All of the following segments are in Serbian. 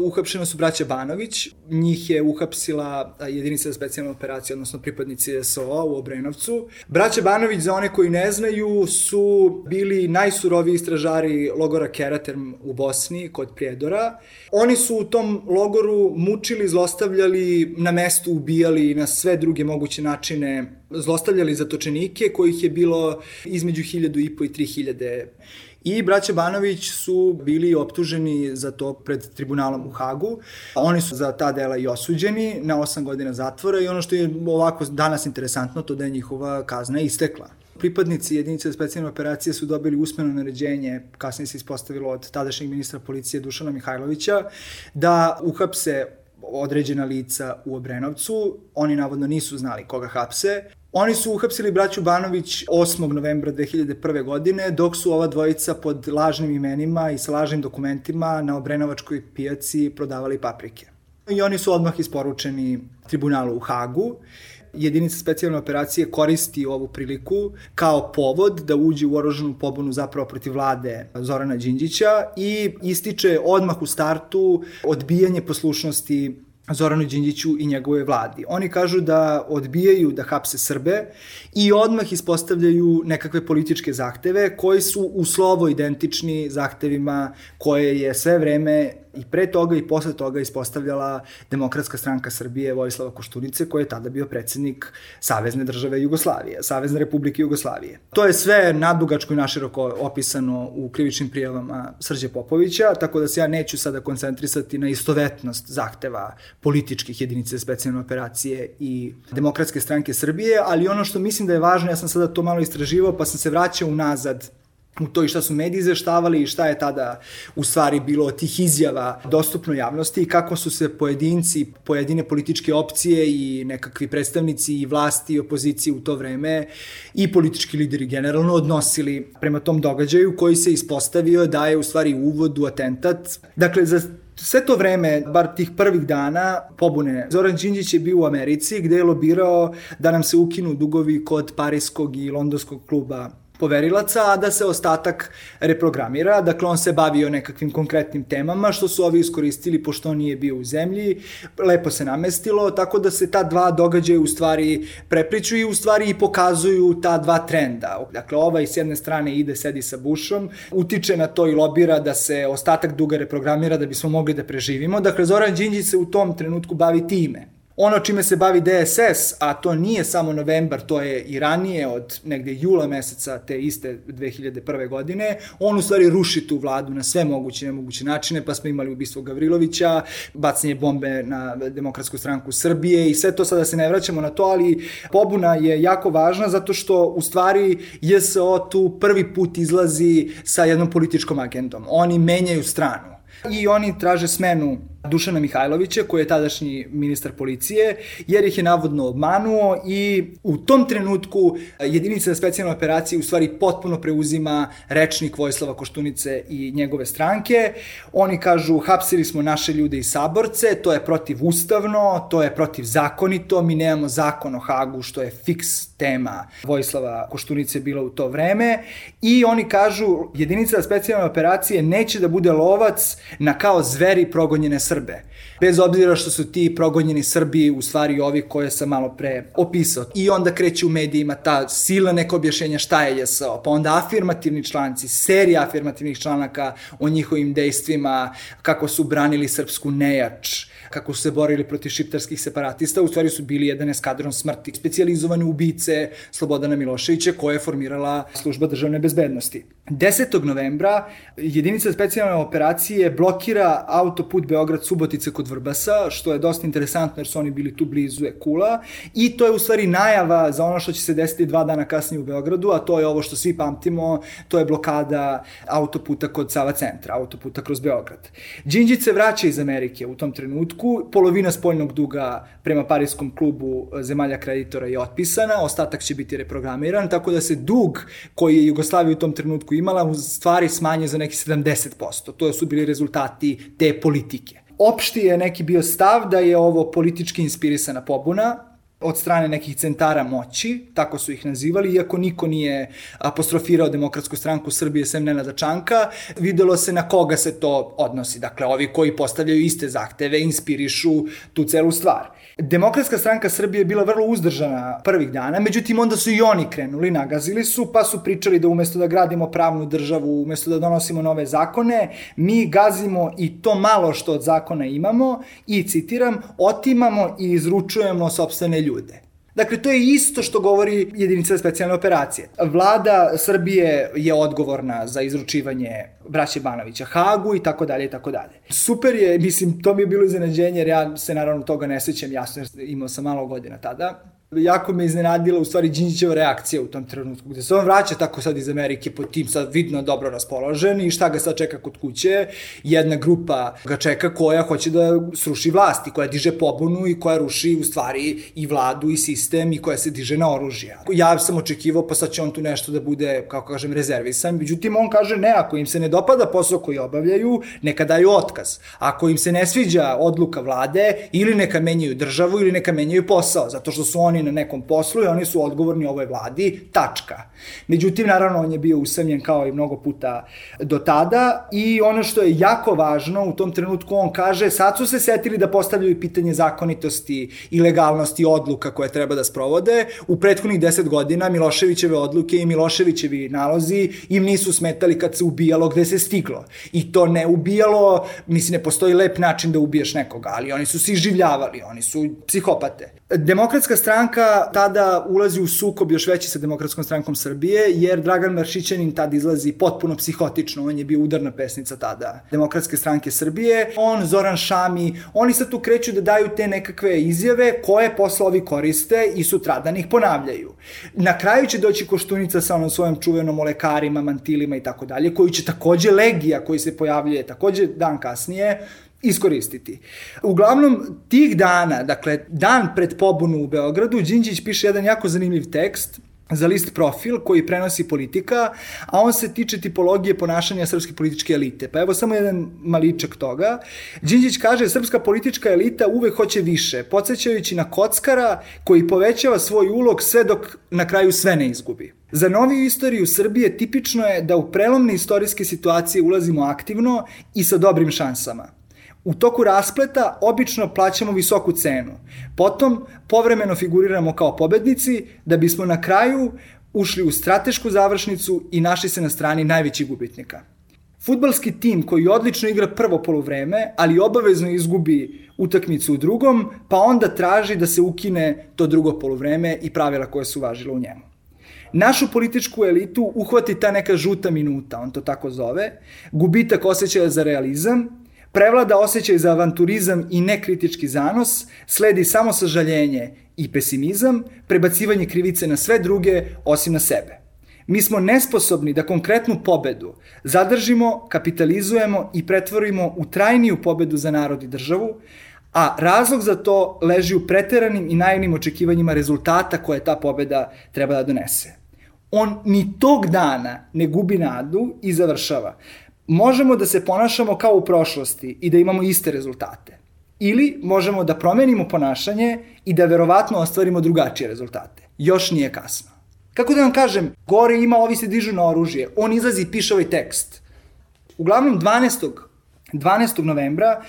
uhapšena su braća Banović, njih je uhapsila jedinica za specijalne operacije, odnosno pripadnici SOA u Obrenovcu. Braća Banović, za one koji ne znaju, su bili najsuroviji istražari logora Keraterm u Bosni, kod Prijedora. Oni su u tom logoru mučili, zlostavljali, na mestu ubijali na sve druge moguće načine, zlostavljali zatočenike, kojih je bilo između 1.500 i 3.000. I braća Banović su bili optuženi za to pred tribunalom u Hagu. Oni su za ta dela i osuđeni na 8 godina zatvora i ono što je ovako danas interesantno, to da je njihova kazna istekla. Pripadnici jedinice specijalne operacije su dobili usmeno naređenje, kasnije se ispostavilo od tadašnjeg ministra policije Dušana Mihajlovića, da uhapse određena lica u Obrenovcu. Oni navodno nisu znali koga hapse. Oni su uhapsili braću Banović 8. novembra 2001. godine, dok su ova dvojica pod lažnim imenima i sa lažnim dokumentima na Obrenovačkoj pijaci prodavali paprike. I oni su odmah isporučeni tribunalu u Hagu. Jedinica specijalne operacije koristi ovu priliku kao povod da uđe u oružanu pobunu zapravo protiv vlade Zorana Đinđića i ističe odmah u startu odbijanje poslušnosti Zoranu Đinđiću i njegove vladi. Oni kažu da odbijaju da hapse Srbe i odmah ispostavljaju nekakve političke zahteve koji su u slovo identični zahtevima koje je sve vreme i pre toga i posle toga ispostavljala Demokratska stranka Srbije Vojislava Koštunice, koji je tada bio predsednik Savezne države Jugoslavije, Savezne republike Jugoslavije. To je sve nadugačko i naširoko opisano u krivičnim prijavama Srđe Popovića, tako da se ja neću sada koncentrisati na istovetnost zahteva političkih jedinice specijalne operacije i Demokratske stranke Srbije, ali ono što mislim da je važno, ja sam sada to malo istraživao, pa sam se vraćao unazad u to i šta su mediji izveštavali i šta je tada u stvari bilo od tih izjava dostupno javnosti i kako su se pojedinci, pojedine političke opcije i nekakvi predstavnici i vlasti i opozicije u to vreme i politički lideri generalno odnosili prema tom događaju koji se ispostavio da je u stvari uvod u atentat. Dakle, za sve to vreme, bar tih prvih dana pobune, Zoran Đinđić je bio u Americi gde je lobirao da nam se ukinu dugovi kod Pariskog i Londonskog kluba poverilaca, a da se ostatak reprogramira. Dakle, on se bavio nekakvim konkretnim temama, što su ovi iskoristili pošto on nije bio u zemlji, lepo se namestilo, tako da se ta dva događaja u stvari prepliču i u stvari i pokazuju ta dva trenda. Dakle, ovaj s jedne strane ide, sedi sa Bushom, utiče na to i lobira da se ostatak duga reprogramira da bismo mogli da preživimo. Dakle, Zoran Đinđić se u tom trenutku bavi time. Ono čime se bavi DSS, a to nije samo novembar, to je i ranije od negde jula meseca te iste 2001. godine, on u stvari ruši tu vladu na sve moguće i nemoguće načine, pa smo imali ubistvo Gavrilovića, bacanje bombe na Demokratsku stranku Srbije i sve to, sada se ne vraćamo na to, ali pobuna je jako važna zato što u stvari JSO tu prvi put izlazi sa jednom političkom agendom. Oni menjaju stranu i oni traže smenu Dušana Mihajlovića, koji je tadašnji ministar policije, jer ih je navodno obmanuo i u tom trenutku jedinica za specijalne operacije u stvari potpuno preuzima rečnik Vojislava Koštunice i njegove stranke. Oni kažu, hapsili smo naše ljude i saborce, to je protivustavno, to je protivzakonito, mi nemamo zakon o Hagu, što je fiks tema Vojislava Koštunice bila u to vreme, i oni kažu, jedinica za specijalne operacije neće da bude lovac na kao zveri progonjene Srbe. Bez obzira što su ti progonjeni Srbi u stvari ovi koje sam malo pre opisao. I onda kreće u medijima ta sila neka objašnjenja šta je JSO, pa onda afirmativni članci, serija afirmativnih članaka o njihovim dejstvima, kako su branili srpsku nejač, kako su se borili protiv šiptarskih separatista, u stvari su bili jedan eskadron smrti, specijalizovane ubice Slobodana Miloševića koje je formirala služba državne bezbednosti. 10. novembra jedinica specijalne operacije blokira autoput Beograd-Subotica kod Vrbasa, što je dosta interesantno jer su oni bili tu blizu Ekula, i to je u stvari najava za ono što će se desiti 2 dana kasnije u Beogradu, a to je ovo što svi pamtimo, to je blokada autoputa kod Sava centra, autoputa kroz Beograd. Đinđić se vraća iz Amerike u tom trenutku, polovina spoljnog duga prema Pariskom klubu zemalja kreditora je otpisana, ostatak će biti reprogramiran, tako da se dug koji je Jugoslavija u tom trenutku imala u stvari smanje za neki 70%. To su bili rezultati te politike. Opšti je neki bio stav da je ovo politički inspirisana pobuna, od strane nekih centara moći, tako su ih nazivali, iako niko nije apostrofirao Demokratsku stranku Srbije sem Nenada Čanka, videlo se na koga se to odnosi. Dakle, ovi koji postavljaju iste zahteve, inspirišu tu celu stvar. Demokratska stranka Srbije je bila vrlo uzdržana prvih dana, međutim onda su i oni krenuli, nagazili su, pa su pričali da umesto da gradimo pravnu državu, umesto da donosimo nove zakone, mi gazimo i to malo što od zakona imamo i, citiram, otimamo i izručujemo sopstvene ljude. Dakle, to je isto što govori jedinica za specijalne operacije. Vlada Srbije je odgovorna za izručivanje braće Banovića Hagu i tako dalje i tako dalje. Super je, mislim, to mi je bilo iznenađenje, jer ja se naravno toga ne sjećam jasno, jer imao sam malo godina tada. Jako me iznenadila u stvari Đinđićeva reakcija u tom trenutku, gde se on vraća tako sad iz Amerike pod tim sad vidno dobro raspoložen i šta ga sad čeka kod kuće. Jedna grupa ga čeka koja hoće da sruši vlast i koja diže pobunu i koja ruši u stvari i vladu i sistem i koja se diže na oružje. Ja sam očekivao pa sad će on tu nešto da bude, kako kažem, rezervisan. Međutim, on kaže ne, ako im se ne dopada posao koji obavljaju, neka daju otkaz. Ako im se ne sviđa odluka vlade, ili neka menjaju državu ili neka menjaju posao, zato što su oni na nekom poslu i oni su odgovorni ovoj vladi, tačka. Međutim, naravno, on je bio usamljen kao i mnogo puta do tada i ono što je jako važno, u tom trenutku on kaže, sad su se setili da postavljaju pitanje zakonitosti i legalnosti odluka koje treba da sprovode. U prethodnih 10 godina Miloševićeve odluke i Miloševićevi nalozi im nisu smetali kad se ubijalo gde se stiglo. I to ne ubijalo, mislim, ne postoji lep način da ubiješ nekoga, ali oni su se iživljavali, oni su psihopate. Demokratska stranka tada ulazi u sukob još veći sa Demokratskom strankom Srbije, jer Dragan Maršićanin tada izlazi potpuno psihotično, on je bio udarna pesnica tada Demokratske stranke Srbije, on, Zoran Šami, oni sad tu kreću da daju te nekakve izjave koje posle ovi koriste i sutradan ih ponavljaju. Na kraju će doći Koštunica sa onom svojom čuvenom o lekarima, mantilima i tako dalje, koji će takođe Legija koji se pojavljuje takođe dan kasnije, iskoristiti. Uglavnom, tih dana, dakle, dan pred pobunu u Beogradu, Đinđić piše jedan jako zanimljiv tekst za list Profil koji prenosi Politika, a on se tiče tipologije ponašanja srpske političke elite. Pa evo samo jedan maličak toga. Đinđić kaže, srpska politička elita uvek hoće više, podsjećajući na kockara koji povećava svoj ulog sve dok na kraju sve ne izgubi. Za noviju istoriju Srbije tipično je da u prelomne istorijske situacije ulazimo aktivno i sa dobrim šansama. U toku raspleta obično plaćamo visoku cenu. Potom povremeno figuriramo kao pobednici da bismo na kraju ušli u stratešku završnicu i našli se na strani najvećih gubitnika. Fudbalski tim koji odlično igra prvo poluvreme, ali obavezno izgubi utakmicu u drugom, pa onda traži da se ukine to drugo poluvreme i pravila koje su važile u njemu. Našu političku elitu uhvati ta neka žuta minuta, on to tako zove, gubitak osjećaja za realizam, prevlada osjećaj za avanturizam i nekritički zanos, sledi samo sažaljenje i pesimizam, prebacivanje krivice na sve druge osim na sebe. Mi smo nesposobni da konkretnu pobedu zadržimo, kapitalizujemo i pretvorimo u trajniju pobedu za narod i državu, a razlog za to leži u preteranim i naivnim očekivanjima rezultata koje ta pobeda treba da donese. On ni tog dana ne gubi nadu i završava. Možemo da se ponašamo kao u prošlosti i da imamo iste rezultate. Ili možemo da promenimo ponašanje i da verovatno ostvarimo drugačije rezultate. Još nije kasno. Kako da vam kažem, gore ima, ovi se dižu na oružje. On izlazi i piše ovaj tekst. Uglavnom 12. novembra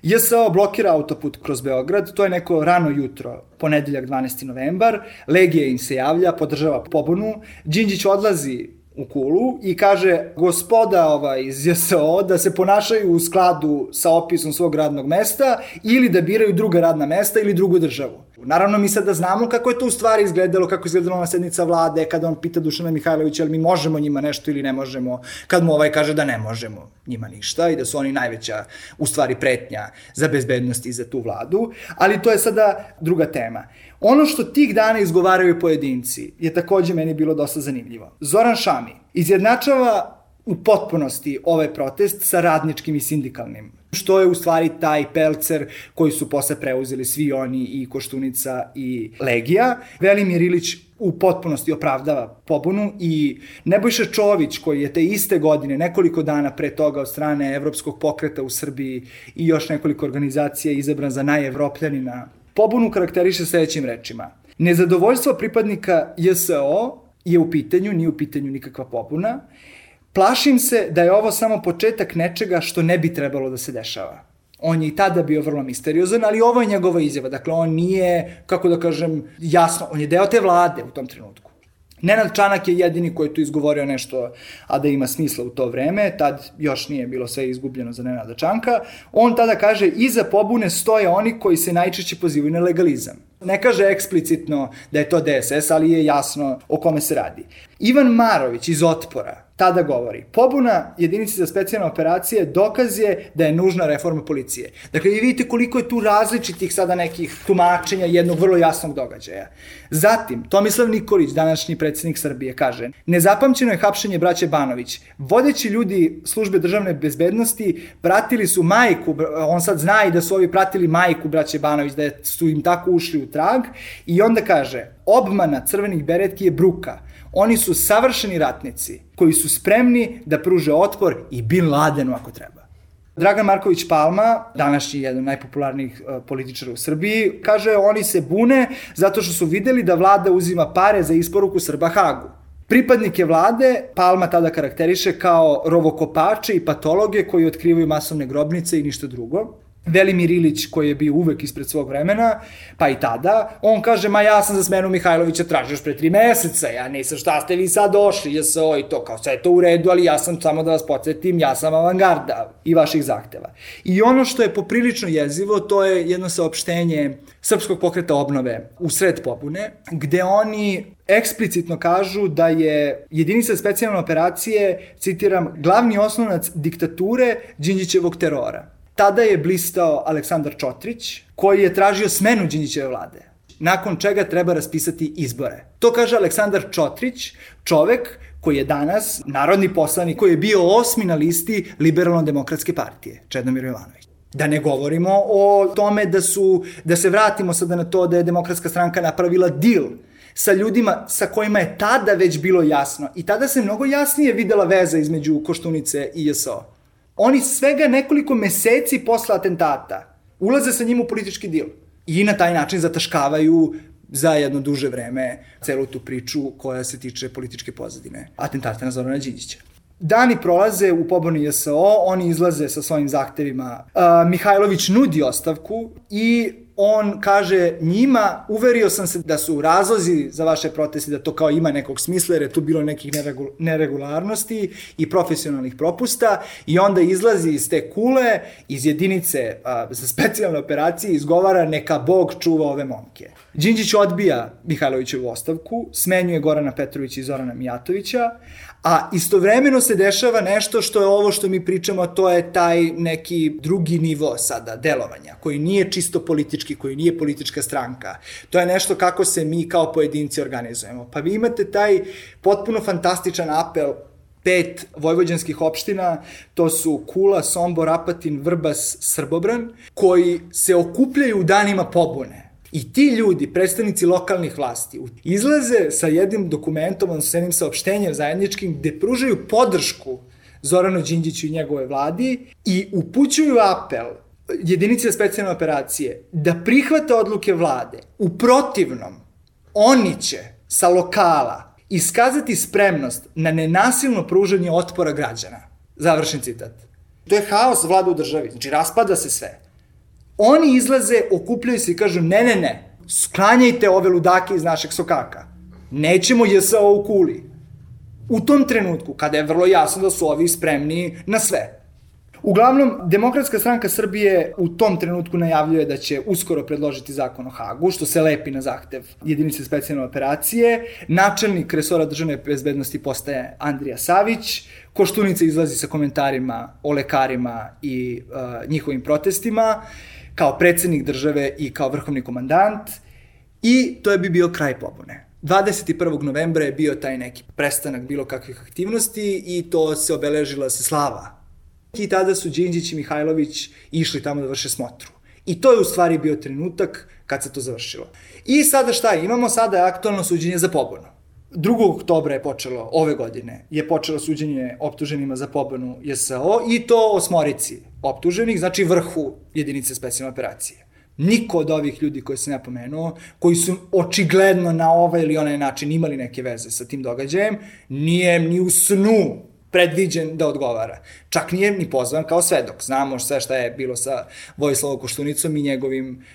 JSO blokira autoput kroz Beograd, to je neko rano jutro, ponedeljak 12. novembar, Legija im se javlja, podržava pobunu, Đinđić odlazi u Kulu i kaže gospoda iz JSO da se ponašaju u skladu sa opisom svog radnog mesta ili da biraju druga radna mesta ili drugu državu. Naravno, mi sad da znamo kako je to u stvari izgledalo, kako je izgledala ona sednica vlade, kada on pita Dušana Mihajlovića, ali mi možemo njima nešto ili ne možemo, kad mu kaže da ne možemo njima ništa i da su oni najveća, u stvari, pretnja za bezbednost i za tu vladu, ali to je sada druga tema. Ono što tih dana izgovaraju pojedinci je takođe meni bilo dosta zanimljivo. Zoran Šami izjednačava u potpunosti ovaj protest sa radničkim i sindikalnim, što je u stvari taj pelcer koji su posle preuzeli svi oni i Koštunica i Legija. Velimir Ilić u potpunosti opravdava pobunu i Nebojša Čović koji je te iste godine, nekoliko dana pre toga od strane Evropskog pokreta u Srbiji i još nekoliko organizacija izabran za najevropljanina pobunu karakteriše sledećim rečima. Nezadovoljstvo pripadnika JSO je u pitanju, nije u pitanju nikakva pobuna. Plašim se da je ovo samo početak nečega što ne bi trebalo da se dešava. On je i tada bio vrlo misteriozan, ali ovo je njegova izjava. Dakle, on nije, kako da kažem, jasno, on je deo te vlade u tom trenutku. Nenad Čanak je jedini koji je tu izgovorio nešto, a da ima smisla u to vreme, tad još nije bilo sve izgubljeno za Nenada Čanka. On tada kaže, iza pobune stoje oni koji se najčešće pozivaju na legalizam. Ne kaže eksplicitno da je to DSS, ali je jasno o kome se radi. Ivan Marović iz Otpora tada govori, pobuna jedinice za specijalne operacije dokaz je da je nužna reforma policije. Dakle, vi vidite koliko je tu različitih sada nekih tumačenja jednog vrlo jasnog događaja. Zatim, Tomislav Nikolić, današnji predsjednik Srbije, kaže, nezapamćeno je hapšenje braće Banović. Vodeći ljudi službe državne bezbednosti pratili su majku, on sad zna i da su ovi pratili majku braće Banović, da su im tako ušli u trag, i onda kaže, obmana crvenih beretki je bruka. Oni su savršeni ratnici koji su spremni da pruže otpor i Bin Ladenu ako treba. Dragan Marković Palma, današnji jedan od najpopularnijih političara u Srbiji, kaže oni se bune zato što su videli da vlada uzima pare za isporuku Srba Hagu. Pripadnike vlade Palma tada karakteriše kao rovokopače i patologe koji otkrivaju masovne grobnice i ništa drugo. Velimir Ilić, koji je bio uvek ispred svog vremena, pa i tada, on kaže, ma ja sam za smenu Mihajlovića tražio još pre 3 meseca, ja nisam, šta ste vi sad došli, JSO i to, kao sve je to u redu, ali ja sam, samo da vas podsjetim, ja sam avangarda i vaših zahteva. I ono što je poprilično jezivo, to je jedno saopštenje Srpskog pokreta obnove u sred pobune, gde oni eksplicitno kažu da je jedinica specijalne operacije, citiram, glavni osnovac diktature Đinđićevog terora. Tada je blistao Aleksandar Čotrić, koji je tražio smenu Đinđićeve vlade, nakon čega treba raspisati izbore. To kaže Aleksandar Čotrić, čovek koji je danas narodni poslanik, koji je bio 8. na listi Liberalno-demokratske partije, Čedomir Jovanović. Da ne govorimo o tome da se vratimo sada na to da je Demokratska stranka napravila deal sa ljudima sa kojima je tada već bilo jasno. I tada se mnogo jasnije videla veza između Koštunice i JSO. Oni svega nekoliko meseci posle atentata ulaze sa njim u politički dil i na taj način zataškavaju za jedno duže vreme celu tu priču koja se tiče političke pozadine atentata na Zorana Đinđića. Dani prolaze u pobuni JSO, oni izlaze sa svojim zahtevima. Mihajlović nudi ostavku i on kaže njima, uverio sam se da su razlozi za vaše proteste, da to kao ima nekog smisla, jer je tu bilo nekih neregularnosti i profesionalnih propusta, i onda izlazi iz te kule, iz jedinice za specijalne operacije, izgovara neka Bog čuva ove momke. Đinđić odbija Mihajlovićevu ostavku, smenjuje Gorana Petrovića i Zorana Mijatovića, a istovremeno se dešava nešto što je ovo što mi pričamo, to je taj neki drugi nivo sada delovanja, koji nije čisto politički, koji nije politička stranka. To je nešto kako se mi kao pojedinci organizujemo. Pa vi imate taj potpuno fantastičan apel 5 vojvođanskih opština, to su Kula, Sombor, Apatin, Vrbas, Srbobran, koji se okupljaju u danima pobune. I ti ljudi, predstavnici lokalnih vlasti, izlaze sa jednim dokumentom, odnosno sa jednim saopštenjem zajedničkim, gde pružaju podršku Zoranu Đinđiću i njegove vladi i upućuju apel jedinice specijalne operacije da prihvate odluke vlade. U protivnom, oni će sa lokala iskazati spremnost na nenasilno pružanje otpora građana. Završen citat. To je haos vlada u državi, znači raspada se sve. Oni izlaze, okupljaju se i kažu ne, sklanjajte ove ludake iz našeg sokaka. Nećemo JSO u Kuli. U tom trenutku, kada je vrlo jasno da su ovi spremni na sve. Uglavnom, Demokratska stranka Srbije u tom trenutku najavljuje da će uskoro predložiti zakon o Hagu, što se lepi na zahtev jedinice specijalne operacije. Načelnik resora državne bezbednosti postaje Andrija Savić. Koštunica izlazi sa komentarima o lekarima i njihovim protestima, kao predsednik države i kao vrhovni komandant, i to bi bio kraj pobune. 21. novembra je bio taj neki prestanak bilo kakvih aktivnosti i to se obeležila se slava. I tada su Đinđić i Mihajlović išli tamo da vrše smotru. I to je u stvari bio trenutak kad se to završilo. I sada šta je? Imamo sada aktualno suđenje za pobunu. 2. oktobra je počelo, ove godine, je počelo suđenje optuženima za pobunu JSO i to 8 optuženih, znači vrhu jedinice specijalne operacije. Niko od ovih ljudi koje sam ja pomenuo, koji su očigledno na ovaj ili onaj način imali neke veze sa tim događajem, nije ni u snu predviđen da odgovara. Čak nije ni pozvan kao svedok. Znamo sve šta je bilo sa Vojislavom Koštunicom i njegovim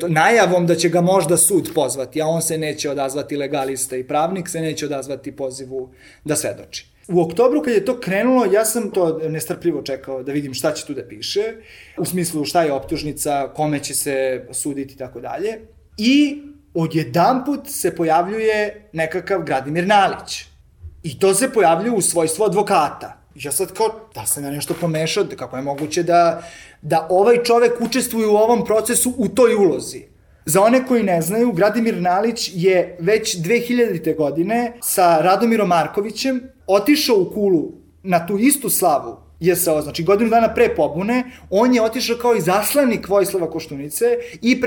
najavom da će ga možda sud pozvati, a on se neće odazvati, legalista i pravnik se neće odazvati pozivu da svedoči. U oktobru kad je to krenulo, ja sam to nestrpljivo čekao da vidim šta će tu da piše, u smislu šta je optužnica, kome će se suditi i tako dalje. I odjedanput se pojavljuje nekakav Gradimir Nalić. I to se pojavljuje u svojstvu advokata. Ja sad kao, da sam ja nešto pomešao, kako je moguće da ovaj čovek učestvuje u ovom procesu u toj ulozi. Za one koji ne znaju, Gradimir Nalić je već 2000. godine sa Radomirom Markovićem otišao u Kulu na tu istu slavu JSO, znači godinu dana pre pobune, on je otišao kao izaslanik Vojislava Koštunice i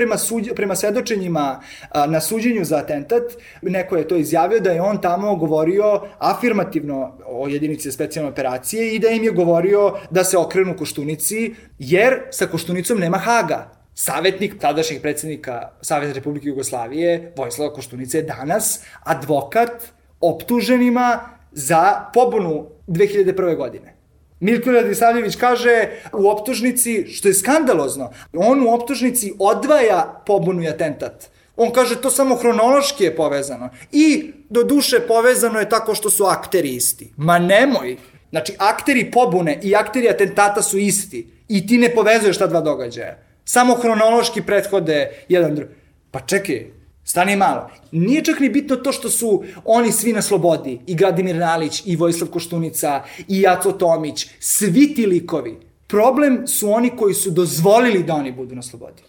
prema svedočenjima na suđenju za atentat, neko je to izjavio da je on tamo govorio afirmativno o jedinici specijalne operacije i da im je govorio da se okrenu Koštunici, jer sa Koštunicom nema Haga. Savetnik tadašnjeg predsjednika Savezne Republike Jugoslavije, Vojislava Koštunica, je danas advokat optuženima za pobunu 2001. godine. Milko Radisavljević kaže u optužnici, što je skandalozno, on u optužnici odvaja pobunu i atentat. On kaže to samo hronološki je povezano. I do duše povezano je tako što su akteri isti. Ma nemoj! Znači, akteri pobune i akteri atentata su isti. I ti ne povezuješ ta dva događaja. Samo hronološki prethode jedan drugi. Pa čekaj, stani malo. Nije čak ni bitno to što su oni svi na slobodi. I Gradimir Nalić, i Vojislav Koštunica, i Aco Tomić. Svi ti likovi. Problem su oni koji su dozvolili da oni budu na slobodi.